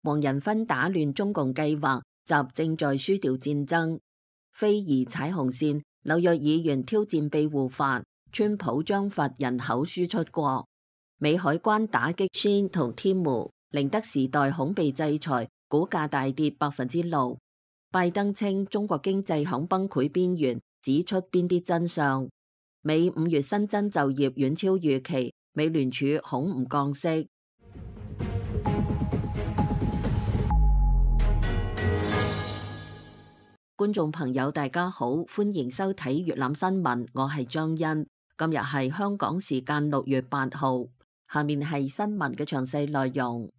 黃仁勳打亂中共計劃，習正在輸掉戰爭。非宜踩紅線，紐約議員挑戰庇護法，川普將罰人口輸出國。美海關打擊 Shein 同 Temu，寧德時代恐被制裁，股價大跌6%。拜登稱中國經濟響崩潰邊緣，指出邊啲真相。美5月新增就業遠超預期，美聯儲恐唔降息。觀眾朋友大家好，歡迎收睇粵覽新聞，我係張欣。今日係香港時間6月8號，下面係新聞嘅詳細內容。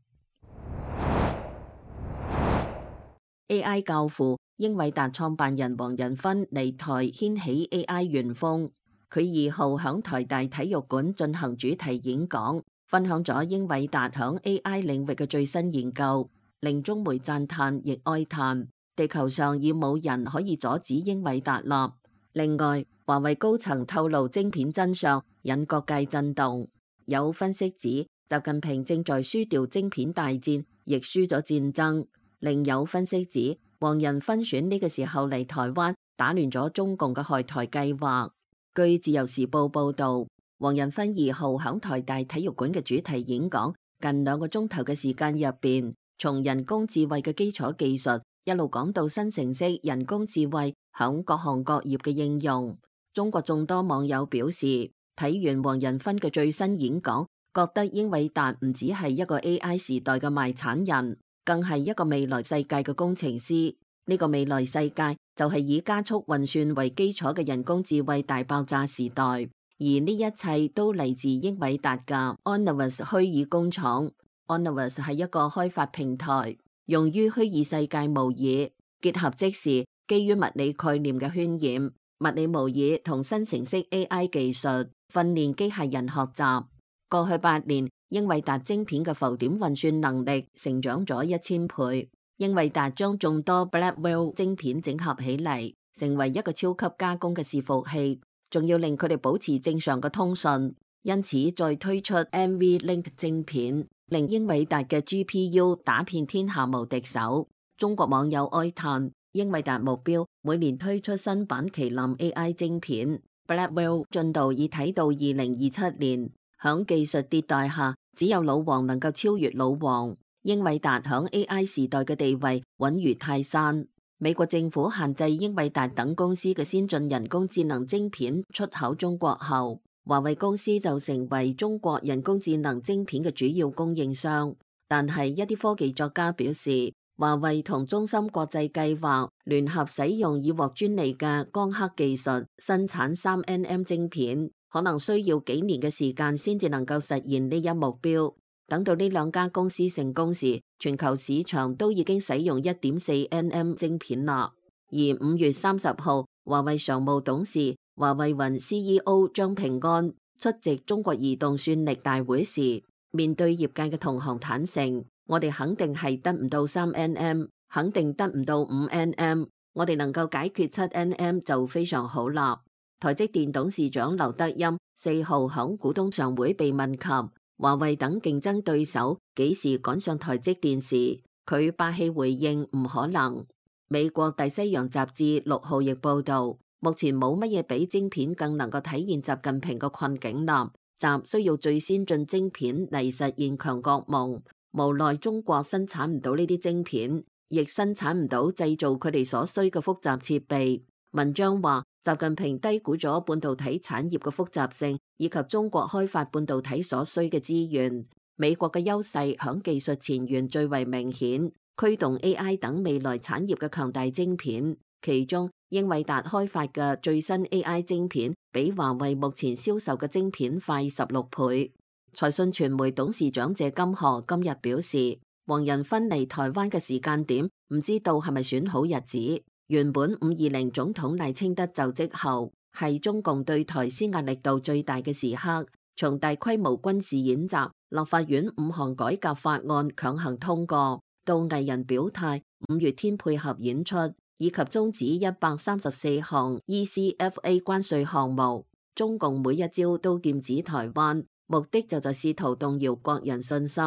AI 教父英偉達創辦人黃仁勳嚟台掀起 AI 旋風，佢2號響台大體育館進行主題演講，分享咗英偉達響 AI 領域嘅最新研究，令中媒讚嘆亦哀嘆。地球上已冇人可以阻止英偉達啦。另外，華為高層透露晶片真相，引各界震動。有分析指，習近平正在輸掉晶片大戰，亦輸咗戰爭。另有分析指，黃仁勳選呢個時候嚟台灣，打亂咗中共嘅害台計劃。據自由時報報道，黃仁勳2號響台大體育館嘅主題演講，近2個鐘頭嘅時間入邊，從人工智慧嘅基礎技術一路講到新程式人工智慧響各行各業嘅應用。中國眾多網友表示，睇完黃仁勳嘅最新演講，覺得英偉達唔只係一個 AI 時代嘅賣產人，更係一個未來世界嘅工程師。呢個未來世界就係以加速運算為基礎嘅人工智慧大爆炸時代，而呢一切都嚟自英偉達嘅 Omniverse 虛擬工廠。Omniverse 係一個開發平台，用於虛擬世界模擬，結合即時基於物理概念嘅渲染、物理模擬同新程式 AI 技術，訓練機械人學習。過去8年，英偉達晶片嘅浮點運算能力成長咗1000倍。英偉達將眾多 Blackwell 晶片整合起嚟，成為一個超級加工嘅伺服器，仲要令佢哋保持正常嘅通訊。因此，再推出 NVLink 晶片，令英偉達嘅 GPU 打遍天下無敵手。中國網友哀嘆，英偉達目標每年推出新版麒麟 AI 晶片 Blackwell 進度已睇到2027年。響技術迭代下，只有老王能夠超越老王。英偉達響 AI 時代嘅地位穩如泰山。美國政府限制英偉達等公司嘅先進人工智能晶片出口中國後，華為公司就成為中國人工智能晶片嘅主要供應商。但係一啲科技作家表示，華為同中芯國際計劃聯合使用已獲專利嘅光刻技術生產3nm晶片，可能需要幾年嘅時間先至能夠實現呢一目標。等到呢2家公司成功時，全球市場都已經使用 1.4nm 晶片啦。而5月30號，華為常務董事、華為雲 CEO 張平安出席中國移動算力大會時，面對業界嘅同行坦誠，我哋肯定係得唔到3nm，肯定得唔到5nm，我哋能夠解決7nm就非常好啦。台積電董事長劉德音4號響股東常會被問及華為等競爭對手幾時趕上台積電時，佢霸氣回應唔可能。美國大西洋雜誌6號亦報道，目前冇乜嘢比晶片更能夠體現習近平嘅困境啦。習需要最先進晶片嚟實現強國夢，無奈中國生產唔到呢啲晶片，亦生產唔到製造佢哋所需嘅複雜設備。文章話，習近平低估咗半導體產業嘅複雜性，以及中國開發半導體所需嘅資源。美國嘅優勢響技術前沿最為明顯，驅動 AI 等未來產業嘅強大晶片。其中，英偉達開發嘅最新 AI 晶片，比華為目前銷售嘅晶片快16倍。財訊傳媒董事長謝金河今日表示，黃仁勳嚟台灣嘅時間點，唔知道係咪選好日子。原本520總統賴清德就職後，係中共對台施壓力度最大嘅時刻，從大規模軍事演習、立法院5項改革法案強行通過，到藝人表態、5月天配合演出，以及終止134項 ECFA 關稅項目，中共每一招都劍指台灣，目的就試圖動搖國人信心。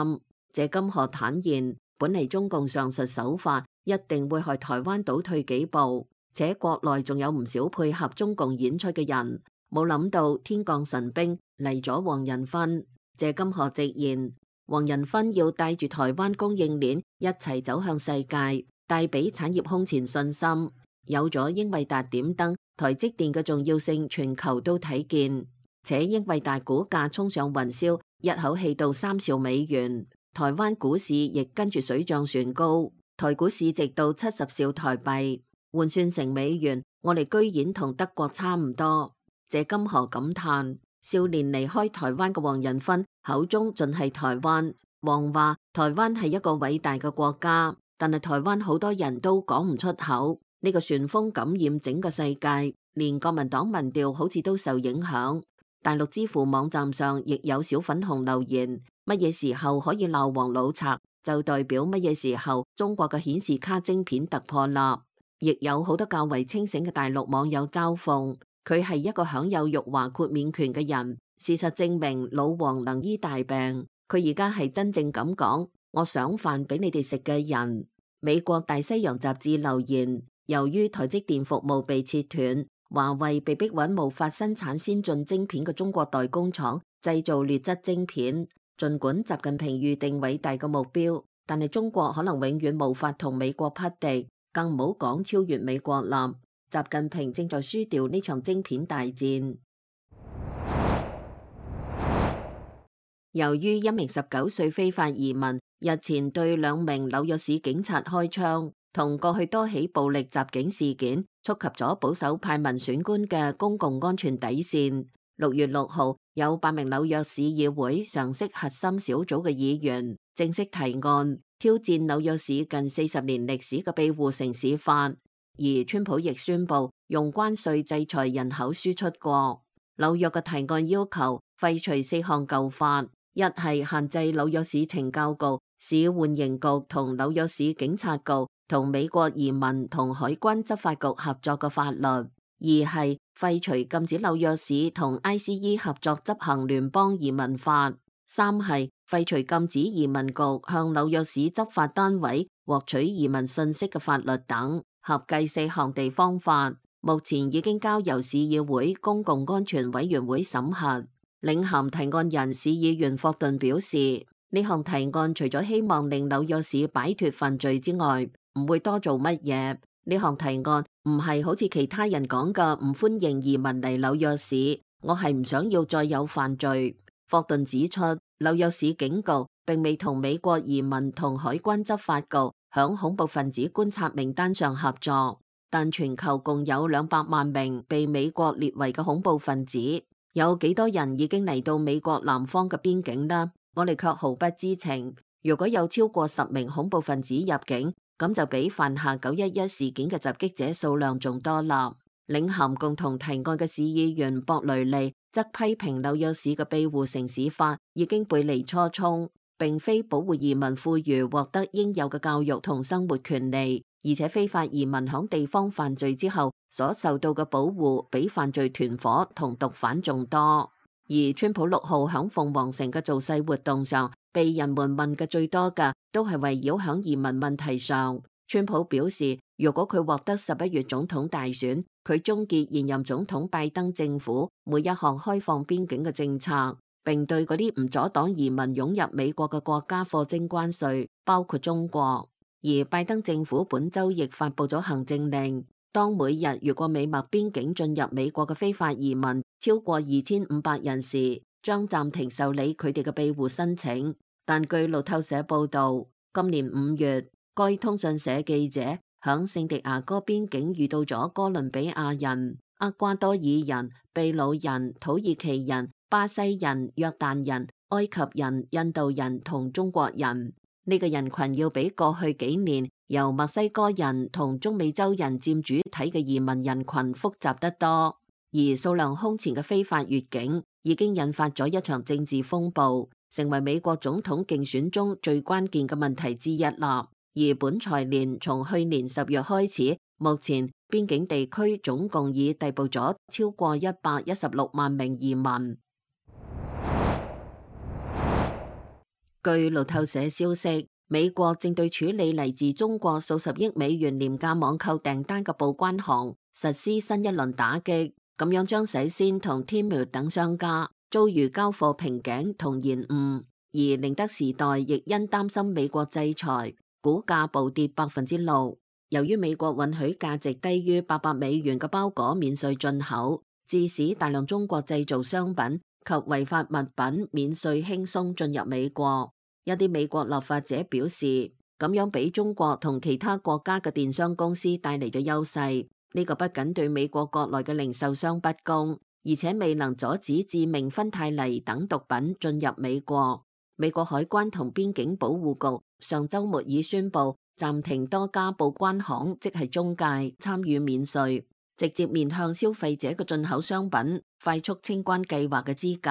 謝金河坦言，本嚟中共上述手法一定會害台灣倒退幾步，且國內仲有唔少配合中共演出嘅人，冇諗到天降神兵嚟咗黃仁勳。謝金河直言，黃仁勳要帶住台灣供應鏈一齊走向世界，帶俾產業空前信心。有咗英偉達點燈，台積電嘅重要性全球都睇見，且英偉達股價衝上雲霄，一口氣到3兆美元。台灣股市亦跟住水漲船高，台股市值到70兆台幣，換算成美元，我哋居然同德國差唔多。謝金河感嘆，少年離開台灣嘅黃仁勳口中盡係台灣。黃話台灣係一個偉大嘅國家，但係台灣好多人都講唔出口。呢個旋風感染整個世界，連國民黨民調好似都受影響。大陸知乎網站上亦有小粉紅留言，乜嘢時候可以鬧黃老賊，就代表乜嘢時候中國嘅顯示卡晶片突破啦。亦有好多較為清醒嘅大陸網友嘲諷，佢係一個享有辱華豁免權嘅人。事實證明老黃能醫大病，佢而家係真正咁講，我想飯俾你哋食嘅人。美國大西洋雜誌留言，由於台積電服務被切斷，華為被逼搵無法生產先進晶片嘅中國代工廠製造劣質晶片。儘管習近平預定偉大嘅目標，但係中國可能永遠無法同美國匹敵，更唔好講超越美國啦。習近平正在輸掉呢場晶片大戰。由於一名19歲非法移民日前對2名紐約市警察開槍，同過去多起暴力襲警事件觸及咗保守派民選官嘅公共安全底線。6月6號，有8名紐約市議會常識核心小組嘅議員正式提案，挑戰紐約市近40年歷史嘅庇護城市法，而川普亦宣布用關稅制裁人口輸出國。紐約嘅提案要求廢除4項舊法，一係限制紐約市懲教局、市緩刑局同紐約市警察局同美國移民同海關執法局合作嘅法律；二係廢除禁止紐約市同 ICE 合作執行聯邦移民法；三係廢除禁止移民局向紐約市執法單位獲取移民信息嘅法律等，合計4項地方法，目前已經交由市議會公共安全委員會審核。領銜提案人市議員霍頓表示，呢項提案除咗希望令紐約市擺脫犯罪之外，唔會多做乜嘢。呢項提案唔係好似其他人講嘅唔歡迎移民嚟紐約市，我係唔想要再有犯罪。霍頓指出，紐約市警局並未同美國移民同海關執法局響恐怖分子觀察名單上合作，但全球共有200萬名被美國列為嘅恐怖分子。有幾多人已經嚟到美國南方嘅邊境呢？我哋卻毫不知情。如果有超過10名恐怖分子入境，咁就比犯下911事件嘅襲擊者數量仲多啦。領銜共同提案嘅市議員博雷利則批評紐約市嘅庇護城市法已經背離初衷，並非保護移民富裕獲得應有嘅教育同生活權利，而且非法移民響地方犯罪之後所受到嘅保護比犯罪團伙同毒販仲多。而川普6號響鳳凰城嘅造勢活動上，被人們問嘅最多嘅都係圍繞響移民問題上。川普表示，如果佢獲得11月總統大選，佢終結現任總統拜登政府每一項開放邊境嘅政策，並對嗰啲唔阻擋移民湧入美國嘅國家課徵關稅，包括中國。而拜登政府本週亦發布咗行政令，當每日越過美墨邊境進入美國嘅非法移民超過2500人時，將暫停受理佢哋嘅庇護申請。但據路透社報導，今年5月，該通訊社記者響聖地亞哥邊境遇到咗哥倫比亞人、厄瓜多爾人、秘魯人、土耳其人、巴西人、約旦人、埃及人、印度人同中國人。呢個人群要比過去幾年由墨西哥人同中美洲人佔主體嘅移民人群複雜得多，而數量空前嘅非法越境已經引發咗一場政治風暴，成為美國總統競選中最關鍵嘅問題之一啦。而本財年從去年10月開始，目前邊境地區總共已逮捕咗超過116萬名移民。據路透社消息，美國正對處理嚟自中國數十億美元廉價網購訂單嘅報關行實施新一輪打擊，咁樣將洗先同 Temu 等商家遭遇交貨瓶頸同延誤，而寧德時代亦因擔心美國制裁，股價暴跌6%。由於美國允許價值低於800美元嘅包裹免稅進口，致使大量中國製造商品及違法物品免稅輕鬆進入美國。一啲美國立法者表示，咁樣俾中國同其他國家嘅電商公司帶嚟咗優勢。呢個不僅對美國國內嘅零售商不公，而且未能阻止致命芬太尼等毒品進入美國。美國海關同邊境保護局上週末已宣布暫停多家報關行，即係中介參與免稅，直接面向消費者嘅進口商品快速清關計劃嘅資格。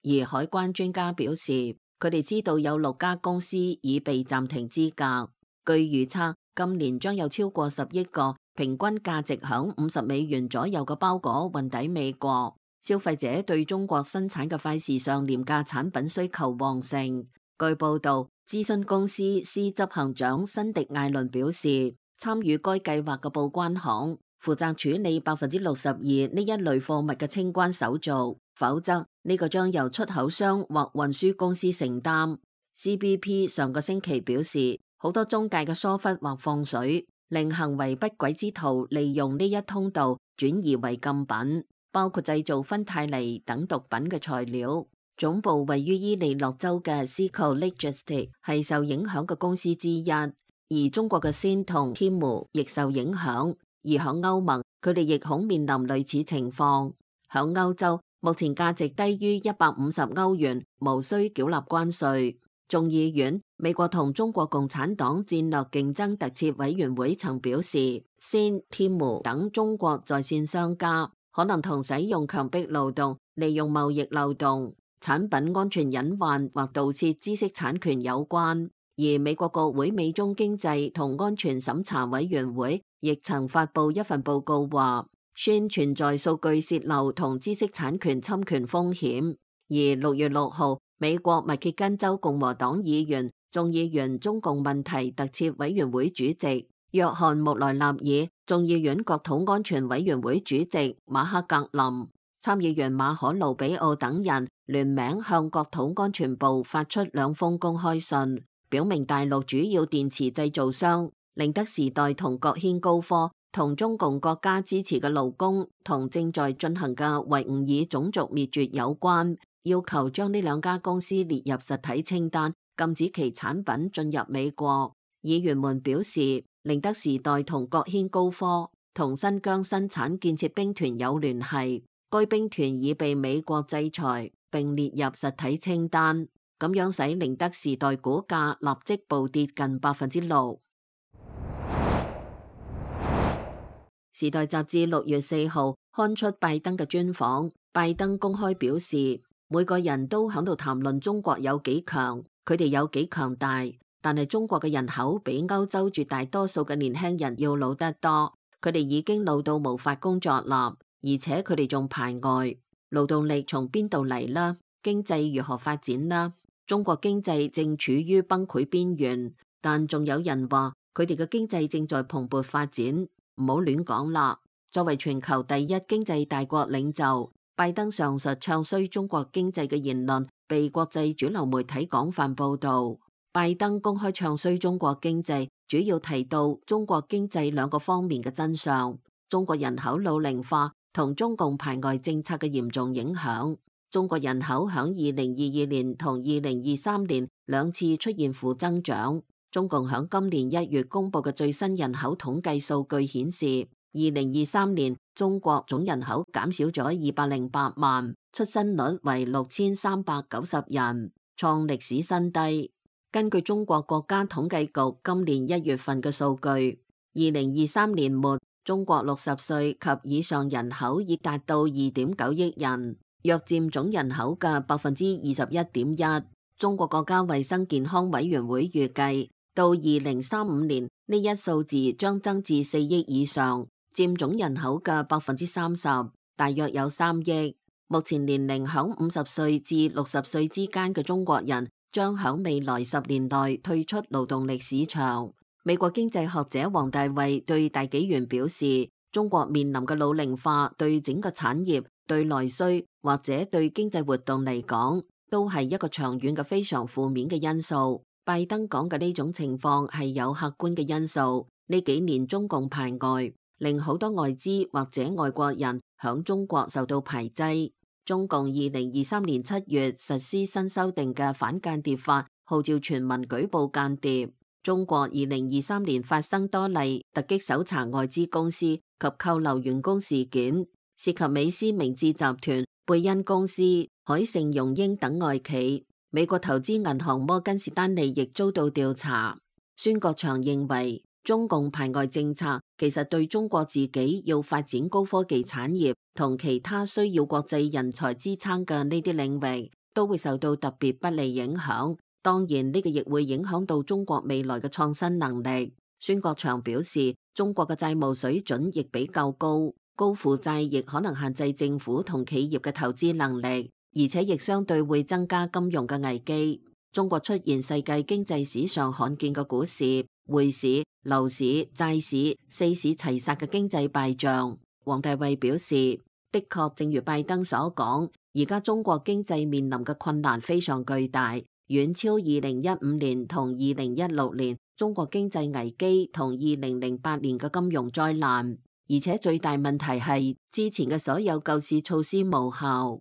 而海關專家表示，佢哋知道有6家公司已被暫停資格。據預測，今年將有超過10億個平均價值響50美元左右嘅包裹運抵美國。消費者對中國生產嘅快時尚廉價產品需求旺盛。據報道，諮詢公司司執行長辛迪艾倫表示，參與該計劃嘅報關行負責處理62%呢一類貨物嘅清關手續，否則呢個將由出口商或運輸公司承擔。CBP 上個星期表示，好多中介嘅疏忽或放水，令行為不軌之徒利用呢一通道轉移為禁品，包括製造芬太尼等毒品嘅材料。總部位於伊利諾州嘅 Seco Logistics 係受影響嘅公司之一，而中國嘅 Shein 同 Temu 亦受影響。而響歐盟，佢哋亦恐面臨類似情況。響歐洲，目前價值低於150歐元，無需繳納關稅。眾議院美國同中國共產黨戰略競爭特設委員會曾表示，Shein、Temu 等中國在線商家可能同使用強迫勞動、利用貿易漏洞、產品安全隱患或盜竊知識產權有關。而美國國會美中經濟同安全審查委員會亦曾發布一份報告話，Shein存在數據洩漏同知識產權侵權風險。而6月6號，美國密歇根州共和黨議員、眾議院中共問題特設委員會主席約翰穆萊納爾、眾議院國土安全委員會主席馬克格林、參議員馬可盧比奧等人聯名向國土安全部發出2封公開信，表明大陸主要電池製造商寧德時代同國軒高科同中共國家支持嘅勞工同正在進行嘅維吾爾種族滅絕有關，要求將呢2家公司列入實體清單，禁止其產品進入美國。議員們表示，寧德時代同國軒高科同新疆生產建設兵團有聯繫，該兵團已被美國制裁並列入實體清單，咁樣使寧德時代股價立即暴跌近6%。時代雜誌6月4號刊出拜登嘅專訪，拜登公開表示，每個人都喺度談論中國有幾強，佢哋有幾強大，但係中國嘅人口比歐洲絕大多數嘅年輕人要老得多，佢哋已經老到無法工作啦，而且佢哋仲排外。勞動力從邊度嚟啦？經濟如何發展啦？中國經濟正處於崩潰邊緣，但仲有人話佢哋嘅經濟正在蓬勃發展。唔好亂講啦！作為全球第一經濟大國領袖，拜登上述唱衰中國經濟嘅言論被國際主流媒體廣泛報導。拜登公開唱衰中國經濟，主要提到中國經濟2個方面嘅真相：中國人口老齡化同中共排外政策嘅嚴重影響。中國人口響2022年同2023年2次出現負增長。中共響今年1月公布嘅最新人口統計數據顯示，2023年中國總人口減少咗208萬，出生率為6390人，創歷史新低。根據中國國家統計局今年1月份嘅數據，2023年末中國60歲及以上人口已達到2.9億人，約佔總人口嘅21.1%。中國國家衛生健康委員會預計，到2035年呢一數字將增至4億以上，佔總人口嘅30%，大約有3億。目前年齡響50歲至60歲之間嘅中國人將響未來10年內退出勞動力市場。美國經濟學者黃大衛對大紀元表示，中國面臨嘅老齡化對整個產業、對內需或者對經濟活動嚟講，都係一個長遠嘅非常負面嘅因素。拜登講嘅呢種情況係有客觀嘅因素。呢幾年中共排外，令好多外資或者外國人響中國受到排擠。中共2023年7月實施新修訂嘅反間諜法，號召全民舉報間諜。中國2023年發生多例突擊搜查外資公司及扣留員工事件，涉及美思明治集團、貝恩公司、海盛榮英等外企。美國投資銀行摩根士丹利亦遭到調查。孫國祥認為，中共排外政策其實對中國自己要發展高科技產業同其他需要國際人才支撐嘅呢啲領域，都會受到特別不利影響。當然，呢個亦會影響到中國未來嘅創新能力。孫國祥表示，中國嘅債務水準亦比較高，高負債亦可能限制政府同企業嘅投資能力，而且亦相對會增加金融嘅危機。中國出現世界經濟史上罕見嘅股市、匯市、樓市、債市四市齊殺嘅經濟敗象。黃大衛表示，的確正如拜登所講，而家中國經濟面臨嘅困難非常巨大，遠超2015年同2016年中國經濟危機同2008年嘅金融災難，而且最大問題係之前嘅所有救市措施無效。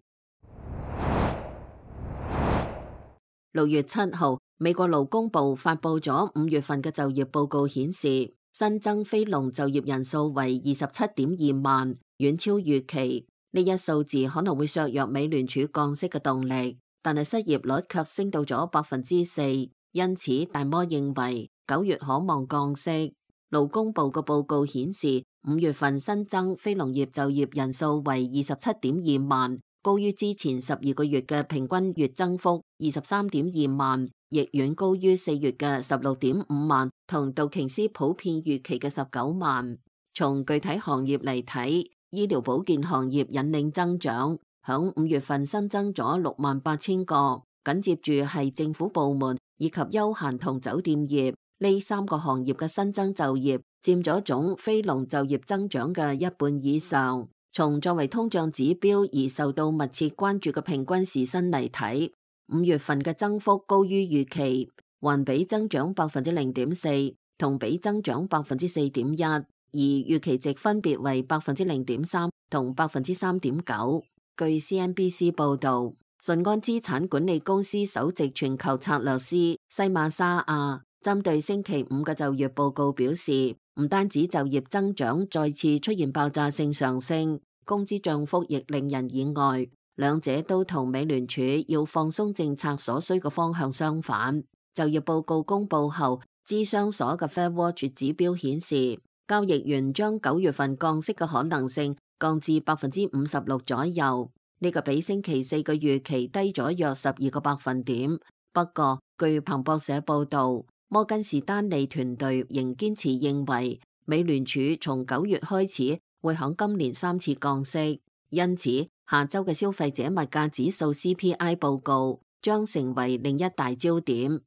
6月7號，美國勞工部發佈咗5月份嘅就業報告，顯示新增非農就業人數為27.2萬，遠超預期。呢一數字可能會削弱美聯儲降息嘅動力，但係失業率卻升到咗4%，因此大摩認為9月可望降息。勞工部嘅報告顯示，5月份新增非農業就業人數為27.2萬。高於之前12個月嘅平均月增幅23.2萬，亦遠高於4月嘅16.5萬同道瓊斯普遍預期嘅19萬。從具體行業嚟睇，醫療保健行業引領增長，響5月份新增咗68,000個，緊接住係政府部門以及休閒同酒店業，呢3個行業嘅新增就業佔咗總非農就業增長嘅1半以上。從作為通脹指標而受到密切關注嘅平均時薪嚟睇，5月份嘅增幅高於預期，環比增長0.4%，同比增長4.1%，而預期值分別為0.3%同3.9%。據 CNBC 報導，順安資產管理公司首席全球策略師西馬沙亞針對星期5嘅就業報告表示，唔單止就業增長再次出現爆炸性上升，工資漲幅亦令人意外，兩者都同美聯儲要放鬆政策所需嘅方向相反。就業報告公佈後，芝商所嘅 FedWatch 指標顯示，交易員將9月份降息嘅可能性降至56%左右，呢個比星期4嘅預期低咗約12個百分點。不過，據彭博社報導，摩根士丹利團隊仍堅持認為，美聯儲從9月開始會響今年3次降息，因此下周嘅消費者物價指數 CPI 報告將成為另一大焦點。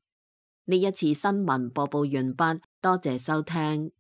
呢一次新聞播報完畢，多謝收聽。